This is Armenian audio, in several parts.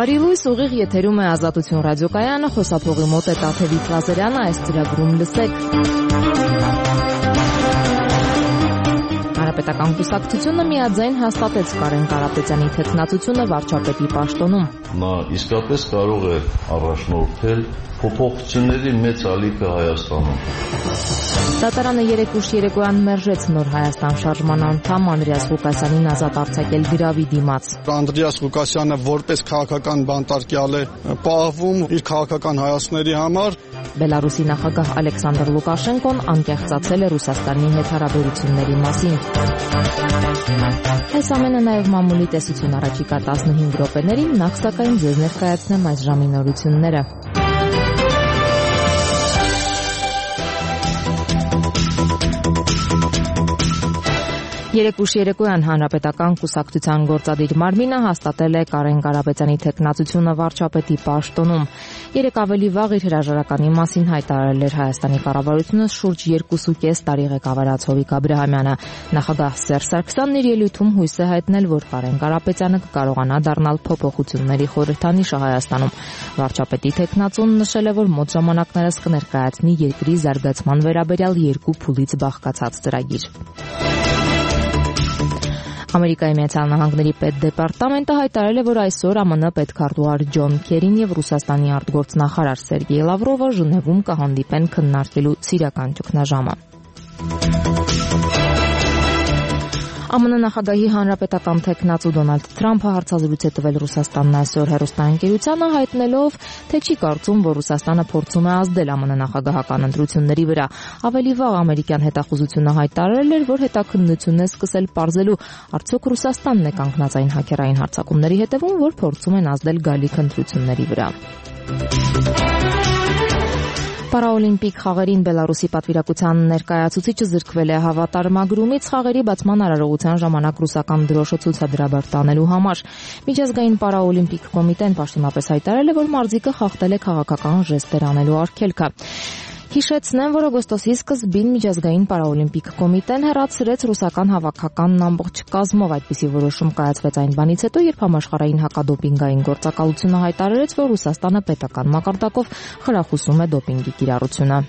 Բարի լույս, ուղիղ եթերում է Ազատություն ռադիոկայանը, խոսափողի մոտ է Տաթևիկ Լազարյանը, այս ծրագրում լսեք։ Հանրապետական կուսակցությունը միաձայն հաստատեց Կարեն Կարապետյանի թեկնածությունը վարչապետի պաշտոնում։ Նա իսկապես կարող է առաջնորդել փոփոխությունների մեծ ալիքը Հայաստանում։ Դատարանը երեկ ուշ երեկոյան մերժեց Նոր Հայաստան շարժման անդամ Անդրեաս Ղուկասյանին ազատ արձակել գրավի դիմաց։ Անդրեաս Ղուկասյանը որպես քաղաքական բանտարկյալ է պահվում իր քաղաքական հայացքների համար։ Բելարուսի նախագահ Ալեքսանդր Լուկաշենկոն անկեղծացել է Ռուսաստանի հետ հարաբերությունների մասին։ Այս ամենը նաև մամուլի տեսություն առաջիկա 15 րոպեներին, նախ սակայն ձեզ ներկայացնեմ այս ժամի նորությունները։ Երեկ ուշ երեկոյան Հանրապետական կուսակցության գործադիր մարմինը հաստատել է Կարեն Կարապետյանի թեկնածությունը վարչապետի պաշտոնում։ Երեկ ավելի վաղ իր հրաժարականի մասին հայտարարել էր Հայաստանի կառավարությունը շուրջ 2.5 տարի ղեկավարած Հովիկ Աբրահամյանը։ Նախագահ Սերժ Սարգսյանն իր ելույթում հույս է հայտնել, որ Կարեն Կարապետյանը կկարողանա դառնալ փոփոխությունների խորհրդանիշը Հայաստանում։ Վարչապետի թեկնածուն նշել է, որ մոտ ժամանակներս կներկայացնի երկրի զարգացման վերաբերյալ 2 փուլից բաղկացած ծրագիր։ Ամերիկայի Միացյալ Նահանգների պետդեպարտամենտը հայտարարել է, որ այսօր ԱՄՆ պետքարտուղար Ջոն Քերին եւ Ռուսաստանի արտգործնախարար Սերգեյ Լավրովը Ժնևում կհանդիպեն քննարկելու սիրիական ճգնաժամը։ ԱՄՆ նախագահի հանրապետական թեկնածու Դոնալդ Թրամփը հարցազրույց է տվել Ռուսաստանն այսօր հեռուստաընկերությանը, հայտնելով, թե չի կարծում, որ Ռուսաստանը փորձում է ազդել ԱՄՆ նախագահական ընտրությունների վրա։ Ավելի վաղ ամերիկյան հետախուզությունը հայտարարել էր, որ հետաքննություն է սկսել պարզելու, արդյոք Ռուսաստանն է կանգնած այն հաքերային հարձակումների հետևում, որ փորձում են ազդել գալիք ընտրությունների վրա։ Պարաօլիմպիկ խաղերին Բելարուսի պատվիրակության ներկայացուցիչը զրկվել է հավատարմագրումից խաղերի բացման արարողության ժամանակ ռուսական դրոշը ցուցադրաբար տանելու համար։ Միջազգային պարաօլիմպիկ կոմիտեն պաշտոնապես հայտարարել է, որ մարզիկը խախտել է քաղաքական ժեստեր անելու արգելքը։ Հիշեցնեմ, որ օգոստոսի սկզբին Միջազգային պարաօլիմպիկ կոմիտեն հեռացրեց ռուսական հավաքականն ամբողջ կազմով։ Այդպիսի որոշում կայացվեց այն բանից հետո, երբ համաշխարհային հակադոպինգային գործակալությունը հայտարարեց, որ Ռուսաստանը պետական մակարդակով խրախուսում է դոպինգի կիրառությունը։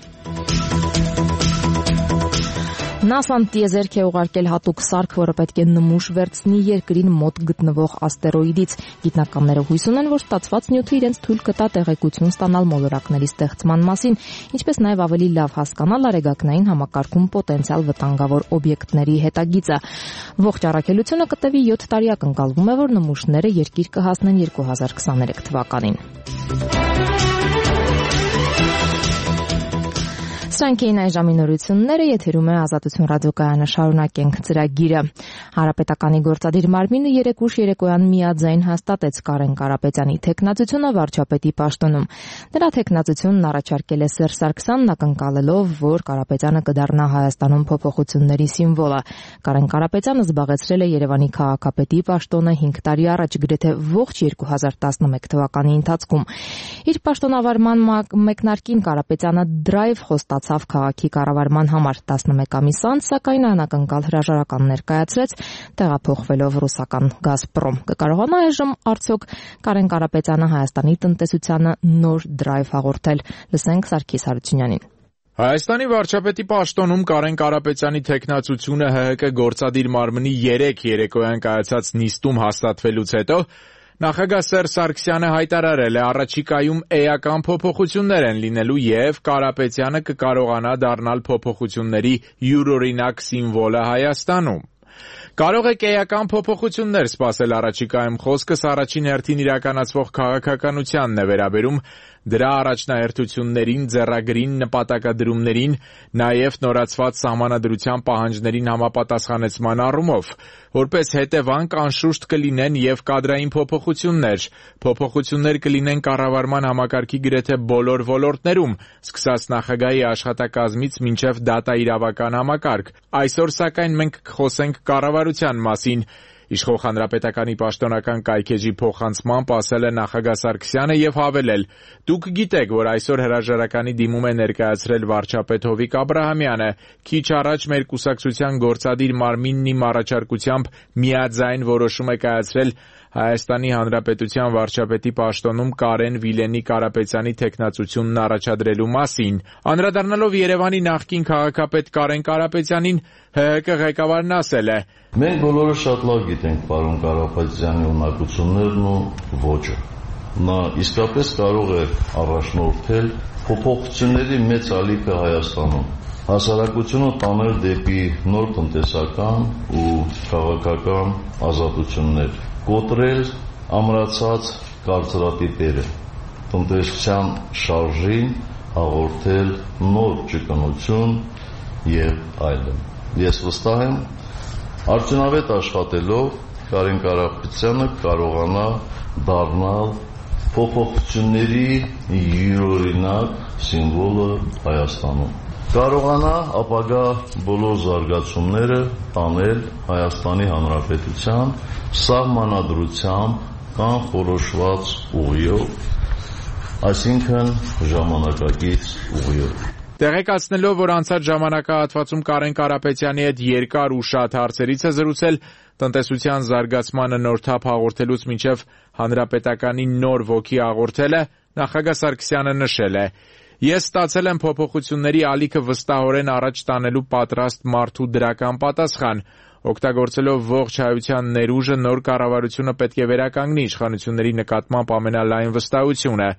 ՆԱՍԱ-ն տիեզերք է ուղարկել հատուկ սարք, որը պետք է նմուշ վերցնի երկրին մոտ գտնվող աստերոիդից։ Գիտնականները հույս ունեն, որ ստացված նյութը իրենց թույլ կտա տեղեկություն ստանալ մոլորակների ստեղծման մասին, ինչպես նաև ավելի լավ հասկանալ արեգակնային համակարգում պոտենցիալ վտանգավոր օբյեկտների հետագիծը։ Ողջ առաքելությունը կտևի 7 տարի, ակնկալվում է, որ նմուշները երկիր կհասնեն 2023 թվականին։ Սրանք էին այս ժամի նորությունները, եթերում է Ազատություն ռադիոկայանը, շարունակենք ծրագիրը։ Հանրապետականի գործադիր մարմինը երեկ ուշ երեկոյան միաձայն հաստատեց Կարեն Կարապետյանի թեկնածությունը վարչապետի պաշտոնում։ Նրա թեկնածությունն առաջարկել է Սերժ Սարգսյանն, ակնկալելով, որ Կարապետյանը կդառնա Հայաստանում փոփոխությունների սիմվոլը։ Կարեն Կարապետյանը զբաղեցրել է Երևանի քաղաքապետի պաշտոնը 5 տարի առաջ, գրեթե ողջ 2011 թվականի ընթացքում։ Իր պաշտոնավարման մեկնարկին Կարապետյանը դրայվ խոստացավ քաղաքի կառավարման համար 11 ամիս անց, սակայն անակնկալ հրաժարական ներկայացրեց, տեղափոխվելով ռուսական Գազպրոմ։ Կկարողանա այժմ արդյոք Կարեն Կարապետյանը Հայաստանի տնտեսությանը նոր դրայվ հաղորդել։ Լսենք Սարգիս Հարությունյանին։ Հայաստանի վարչապետի պաշտոնում Կարեն Կարապետյանի թեկնածությունը ՀՀԿ գործադիր մարմնի 3 երեկոյան կայացած նիստում հաստատվելուց հետո նախագահ Սերժ Սարգսյանը հայտարարել է, առաջիկայում էական փոփոխություններ են լինելու եւ Կարապետյանը կկարողանա դառնալ փոփոխությունների յուրօրինակ սիմվոլը Հայաստանում։ Կարող եք էական փոփոխություններ սպասել առաջիկայում, խոսքս առաջին հերթին իրականացվող քաղաքականությանն է վերաբերում, դրա առաջնահերթություններին, ձեռագրին, նպատակադրումներին, նաև նորացված սահմանադրության պահանջներին համապատասխանեցման առումով, որպես հետևանք անշուշտ կլինեն եւ կադրային փոփոխություններ։ Փոփոխություններ կլինեն կառավարման համակարգի գրեթե բոլոր ոլորտներում, սկսած նախագահի աշխատակազմից մինչև դատաիրավական համակարգ։ Այսօր սակայն մենք կխոսենք կառավարության մասին։ Իշխող հանրապետականի պաշտոնական կայքեջի փոխանցմամբ ասել է նախագահ Սարգսյանը եւ հավելել. «Դուք գիտեք, որ այսօր հրաժարականի դիմում է ներկայացրել վարչապետ Հովիկ Աբրահամյանը։ Քիչ առաջ մեր կուսակցության գործադիր մարմինն իմ առաջարկությամբ միաձայն որոշում է կայացրել Հայաստանի Հանրապետության վարչապետի պաշտոնում Կարեն Վիլենի Կարապետյանի թեկնածությունն առաջադրելու մասին։ Անդրադառնալով Երևանի նախկին քաղաքապետ Կարեն Կարապետյանին, ՀՀԿ ղեկավարն ասել է. Մենք բոլորը շատ լավ գիտենք պարոն Կարապետյանի ունակություններն ու ոճը։ Նա իսկապես կարող է առաջնորդել փոփոխությունների մեծ ալիքը Հայաստանում, հասարակությունը տանել դեպի նոր տնտեսական ու քաղաքական ազատություններ, կոտրել ամրացած կարծրատիպերը, տնտեսության շարժին հաղորդել նոր ճկունություն եւ այլն։ Ես վստահ եմ, արդյունավետ աշխատելով Կարեն Կարապետյանը կարողանա դառնալ փոփոխությունների յուրօրինակ սիմվոլը Հայաստանում։ Կարողանա ապագա բոլոր զարգացումները տանել Հայաստանի Հանրապետության սահմանադրությամբ կանխորոշված ուղիով, այսինքն ժամանակակից ուղիով։ Տեղեկացնելով, որ անցած ժամանակահատվածում Կարեն Կարապետյանի հետ երկար ու շատ հարցերից է զրուցել, տնտեսության զարգացմանը նոր թափ հաղորդելուց մինչև հանրապետականի նոր ոգի հաղորդելը, նախագահ Սարգսյանը նշել է. Ես ստացել եմ փոփոխությունների ալիքը վստահորեն առաջ տանելու պատրաստ մարդու դրական պատասխան։ Օգտագործելով ողջ հայության ներուժը, նոր կառավարությունը պետք է վերականգնի իշխանությունների նկատմամբ ամենալայն վստահությունը,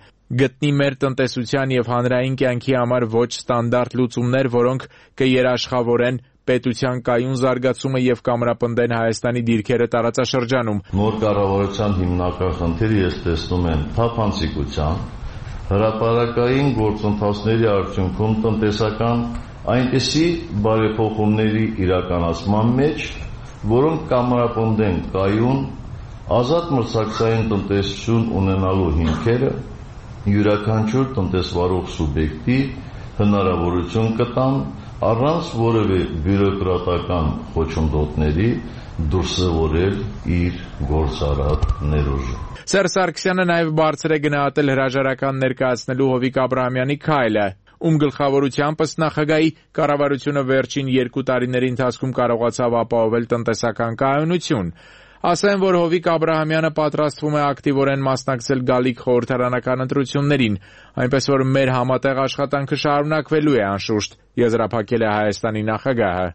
գտնի մեր տնտեսության եւ հանրային կյանքի համար ոչ ստանդարտ լուծումներ, որոնք կերաշխավորեն պետության կայուն զարգացումը եւ կամրապնդեն Հայաստանի դիրքերը տարածաշրջանում։ Նոր կառավարության հիմնական խնդիրը ես տեսնում եմ թափանցիկության, հրապարակային գործընթացների արդյունքում տնտեսական այնպիսի բարեփոխումների իրականացման մեջ, որոնք կամրապնդեն կայուն, ազատ մրցակցային տնտեսություն ունենալու հիմքերը, յուրաքանչյուր տնտեսվարող սուբյեկտի հնարավորություն կտան առանց որևէ բյուրոկրատական խոչընդոտների դուրսևորել իր գործարար ներուժը։ Սերժ Սարգսյանը նաև բարձր է գնահատել հրաժարական ներկայացնելու Հովիկ Աբրահամյանի քայլը, ում գլխավորությամբ ըստ նախագահի կառավարությունը վերջին 2 տարիների ընթացքում կարողացավ ապահովել տնտեսական կայունություն։ Ասեմ, որ Հովիկ Աբրահամյանը պատրաստվում է ակտիվորեն մասնակցել գալիք խորհրդարանական ընտրություններին, այնպես որ մեր համատեղ աշխատանքը շարունակվելու է անշուշտ, եզրափակել է Հայաստանի նախագահը։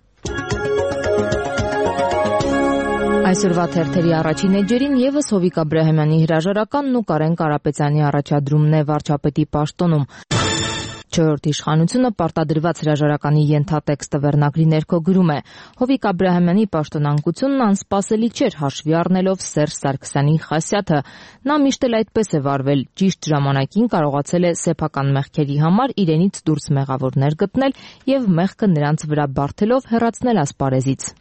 Այսօրվա թերթերի առաջին էջերին եւս Հովիկ Աբրահամյանի հրաժարականն ու Կարեն Կարապետյանի առաջադրումն է վարչապետի պաշտոնում։ 4-րդ իշխանությունը պարտադրված հրաժարականի ենթատեքստը վերնագրի ներքո գրում է. Հովիկ Աբրահամյանի պաշտոնանկությունն անսպասելի չէր հաշվի առնելով Սերժ Սարգսյանի խասյաթը։ Նա միշտ էլ այդպես է վարվել, ճիշտ ժամանակին կարողացել է սեփական մեղքերի համար իրենից դուրս մեղավորներ գտնել եւ մեղքը նրանց վրա բարթելով հեռացնել ասպարեզից։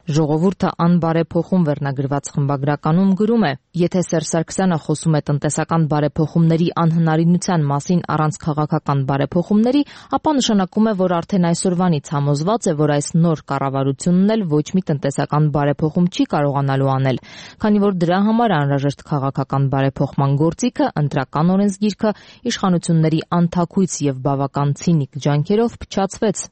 Ժողովուրդը անբարեփոխում վերնագրված խմբագրականում գրում է. Եթե Սերժ Սարգսյանը խոսում է տնտեսական բարեփոխումների անհնարինության մասին առանց քաղաքական բարեփոխումների, ապա նշանակում է, որ արդեն այսօրվանից համոզված է, որ այս նոր կառավարությունն էլ ոչ մի տնտեսական բարեփոխում չի կարողանալու անել, քանի որ դրա համար անհրաժեշտ քաղաքական բարեփոխման գործիքը, ընտրական օրենսգիրքը իշխանությունների անթաքույց եւ բավական ցինիկ ջանքերով փչացվեց։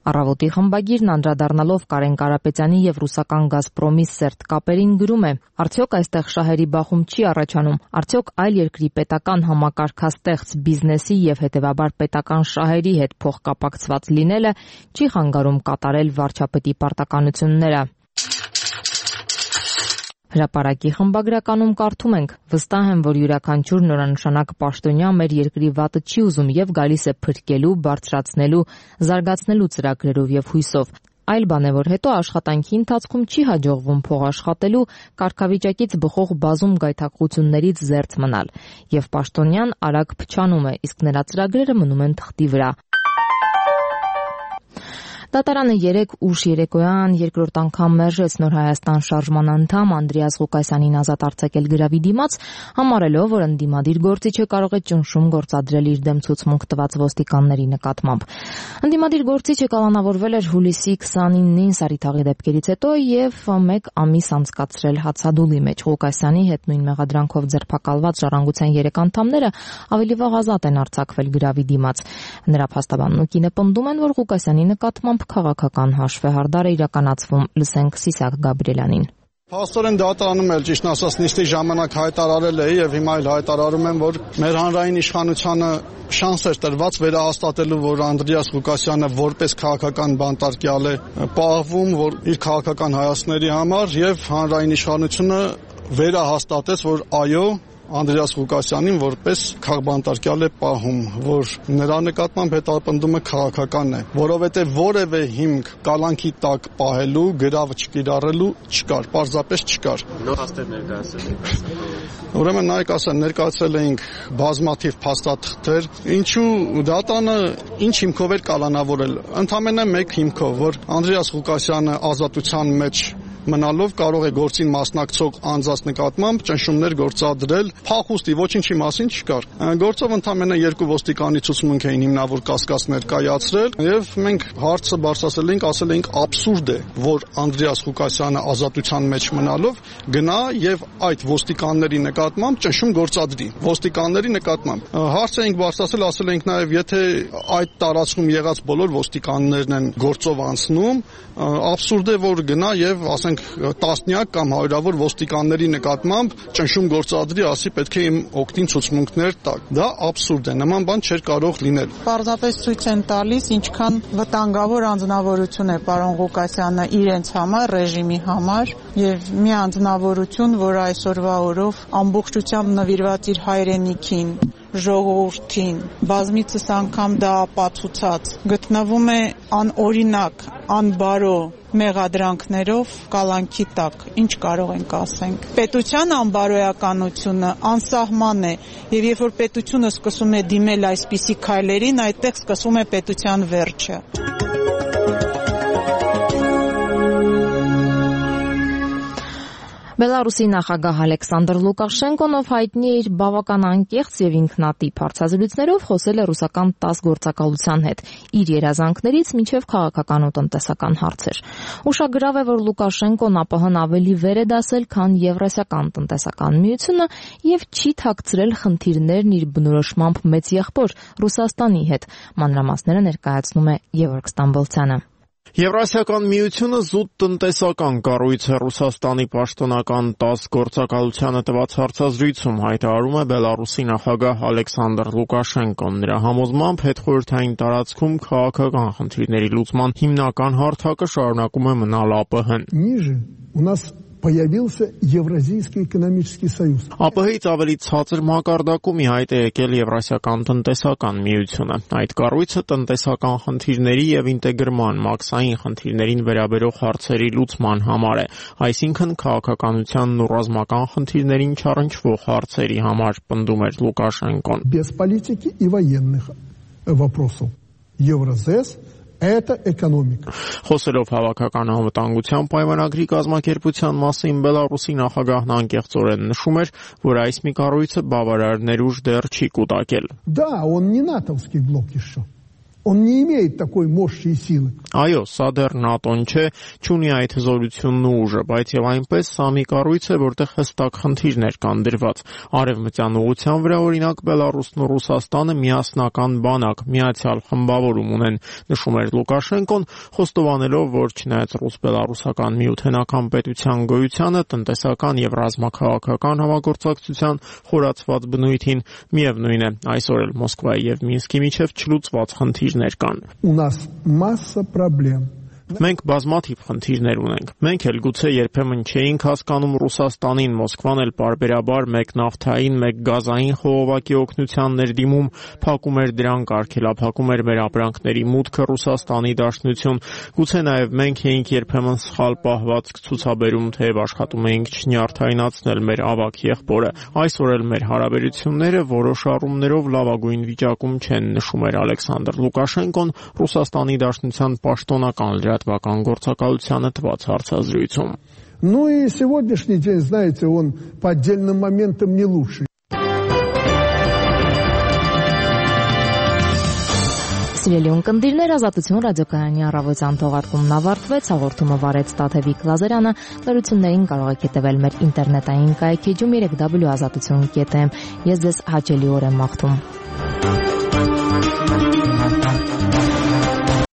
Առավոտի խմբագիրն անդրադառնալով Կարեն Կարապետյանի եւ ռուսական Գազպրոմի սերտ կապերին գրում է. Արդյոք այստեղ շահերի բախում չի առաջանում, արդյոք այլ երկրի պետական համակարգաստեղծ բիզնեսի եւ հետեւաբար պետական շահերի հետ փոխկապակցված լինելը չի խանգարում կատարել վարչապետի պարտականությունները։ Հրապարակի խմբագրականում կարդում ենք. վստահ եմ, որ յուրաքանչյուր նորանշանակ պաշտոնյա մեր երկրի վատը չի ուզում եւ գալիս է փրկելու, բարձրացնելու, զարգացնելու ծրագրերով եւ հույսով։ Այլ բան է, որ հետո աշխատանքի ընթացքում չի հաջողվում փող աշխատելու, կարգավիճակից բխող բազում գայթակղություններից զերծ մնալ, եւ պաշտոնյան արագ փչանում է, իսկ նրա ծրագրերը մնում են թղթի վրա։ Դատարանը 3 ուշ երեկոյան երկրորդ անգամ մերժեց Նոր Հայաստան շարժման անդամ Անդրեաս Ղուկասյանին ազատ արձակել գրավի դիմաց, համարելով, որ ընդդիմադիր գործիչը կարող է ճնշում գործադրել իր դեմ ցուցմունք տված ոստիկանների նկատմամբ։ Ընդդիմադիր գործիչը կալանավորվել էր հուլիսի 29-ին Սարիթաղի դեպքերից հետո եւ 1 ամիս անցկացրել հացադուլի մեջ։ Ղուկասյանի հետ նույն մեղադրանքով ձերբակալված ժառանգության 3 անդամները ավելի վաղ ազատ են արձակվել գրավի դիմաց։ Նրա փաստաբանն ու կինը պնդում են, որ Ղուկասյանի նկատմամբ նկատմամբ քաղաքական հաշվեհարդար է իրականացվում, լսենք Սիսակ Գաբրիելյանին։ Փաստորեն դատարանում էլ ճիշտ ասած նիստի ժամանակ հայտարարել էի եւ հիմա էլ հայտարարում եմ, որ մեր հանրային իշխանությանը շանս էր տրված վերահաստատելու, որ Անդրեաս Ղուկասյանը որպես քաղաքական բանտարկյալ է պահվում, որ իր քաղաքական հայացքների համար եւ հանրային իշխանությունը վերահաստատեց, որ այո Անդրեաս Ղուկասյանին որպես քաղաքբանտարկյալ է պահում, որ նրա նկատմամբ հետապնդումը քաղաքական է, որովհետև որևէ հիմք կալանքի տակ պահելու, գրավը չկիրառելու չկար, պարզապես չկար։ Փաստեր ներկայացրել։ Ուրեմն նայեք ասեն, ներկայացրել էինք բազմաթիվ փաստաթղթեր, ինչու դատանը ինչ հիմքով էր կալանավորել։ Ընդամենը մեկ հիմքով, որ Անդրեաս Ղուկասյանը ազատության մեջ մնալով կարող է գործին մասնակցող անձանց նկատմամբ ճնշումներ գործադրել, փախուստի ոչինչի մասին չկար։ Գործով ընդամենը 2 ոստիկանի ցուցմունք էին հիմնավոր կասկած ներկայացրել եւ մենք հարցը բարձրացրել էինք, ասել էինք աբսուրդ է, որ Անդրեաս Ղուկասյանը ազատության մեջ մնալով գնա եւ այդ ոստիկանների նկատմամբ ճնշում գործադրի։ Ոստիկանների նկատմամբ հարց էինք բարձրացրել, ասել էինք նաեւ եթե այդ տարածքում եղած բոլոր ոստիկաններն են գործով անցնում, աբսուրդ է, որ գնա եւ ասենք տասնյակ կամ հարյուրավոր ոստիկանների նկատմամբ ճնշում գործադրի, ասի պետք է իմ օգտին ցուցմունքներ տակ։ Դա աբսուրդ է, նման բան չէր կարող լինել։ Պարզապես ցույց են տալիս, ինչքան վտանգավոր անձնավորություն է պարոն Ղուկասյանը իրենց համար, ռեժիմի համար եւ մի անձնավորություն, որ այսօրվա օրով ամբողջությամբ նվիրված իր հայրենիքին, ժողովրդին, բազմիցս անգամ դա ապացուցած, գտնվում է անօրինակ, անբարո մեղադրանքներով կալանքի տակ, ինչ կարող ենք ասենք։ Պետության անբարոյականությունը անսահման է, եւ երբ որ պետությունը սկսում է դիմել այսպիսի քայլերին, այդտեղ սկսվում է պետության վերջը։ Բելարուսի նախագահ Ալեքսանդր Լուկաշենկոն, ով հայտնի է իր բավական անկեղծ եւ ինքնատիպ հարցազրույցներով, խոսել է ռուսական 10 գործակալության հետ, իր երազանքներից մինչեւ քաղաքական ու տնտեսական հարցեր։ Ուշագրավ է, որ Լուկաշենկոն ԱՊՀ-ն ավելի վեր է դասել, քան Եվրասիական տնտեսական միությունը եւ չի թաքցրել խնդիրներն իր բնորոշմամբ մեծ եղբոր Ռուսաստանի հետ։ Մանրամասները ներկայացնում է Գևորգ Ստամբոլցյանը։ Եվրասիական միությունը զուտ տնտեսական կառույց է, Ռուսաստանի պաշտոնական 10 գործակալությանը տված հարցազրույցում հայտարարում է Բելարուսի նախագահ Ալեքսանդր Լուկաշենկոն։ Նրա համոզմամբ հետխորհրդային տարածքում քաղաքական խնդիրների լուծման հիմնական հարթակը շարունակում է մնալ ԱՊՀ-ն։ Ниже у нас появился Евразийский экономический союз. ԱՊՀ-ից ավելի ցածր մակարդակում ի հայտ է եկել Եվրասիական տնտեսական միությունը։ Այդ կառույցը տնտեսական խնդիրների եւ ինտեգրման, մաքսային խնդիրներին վերաբերող հարցերի լուծման համար է, այսինքն քաղաքականությանն ու ռազմական խնդիրներին չառնչվող հարցերի համար, պնդում էր Լուկաշենկոն։ Без политики и военных вопросов. Евразес Это экономика. Խոսելով հավաքական անվտանգության պայմանագրի կազմակերպության մասին, Բելարուսի նախագահն անկեղծորեն նշում էր, որ այս մի կառույցը բավարար ներուժ դեռ չի կուտակել։ Да, он не натовский блок еще. Он не имеет такой мощи и силы. Այո, սա դեռ ՆԱՏՕ-ն չէ, չունի այդ հզորությունն ու ուժը, բայց եւ այնպես սա մի կառույց է, որտեղ հստակ խնդիրներ կան դրված։ Արևմտյան ուղղության վրա օրինակ Բելարուսն ու Ռուսաստանը միասնական բանակ, միացյալ խմբավորում ունեն, նշում էր Լուկաշենկոն, խոստովանելով, որ չնայած ռուս-բելարուսական միութենական պետության գոյությանը, տնտեսական եւ ռազմաքաղաքական համագործակցության խորացված բնույթին, միևնույն է, այսօր էլ Մոսկվայի եւ Մինսկի միջև չլուծված խնդիրներ կան։ У нас масса проблем. Մենք բազմաթիվ խնդիրներ ունենք։ Մենք էլ գուցե երբեմն չէինք հասկանում Ռուսաստանին, Մոսկվան էլ պարբերաբար մեկ նավթային, մեկ գազային խողովակի օգնության ներդիմում փակում էր դրանք, արգելափակում էր մեր ապրանքների մուտքը Ռուսաստանի Դաշնություն։ Գուցե նաև մենք էինք երբեմն սխալ պահվածք ցուցաբերում, թեև աշխատում էինք չնյարդայնացնել մեր ավագ եղբորը։ Այսօր էլ մեր հարաբերությունները որոշ առումներով լավագույն վիճակում չեն, նշում էր Ալեքսանդր Լուկաշենկոն Ռուսաստանի Դաշնության պաշտոնական լրատվական գործակալությանը տված հարցազրույցում։ Ну и сегодняшний день, знаете, он по отдельным моментам не лучший. Սիրելի ունկնդիրներ, Ազատություն ռադիոկայանի առավոտյան թողարկումն ավարտվեց, հաղորդումը վարեց Տաթևիկ Լազարյանը, լրություններին կարող եք հետևել մեր ինտերնետային կայքեջում www.azatutun.am։ Ես ձեզ հաճելի օր եմ մաղթում։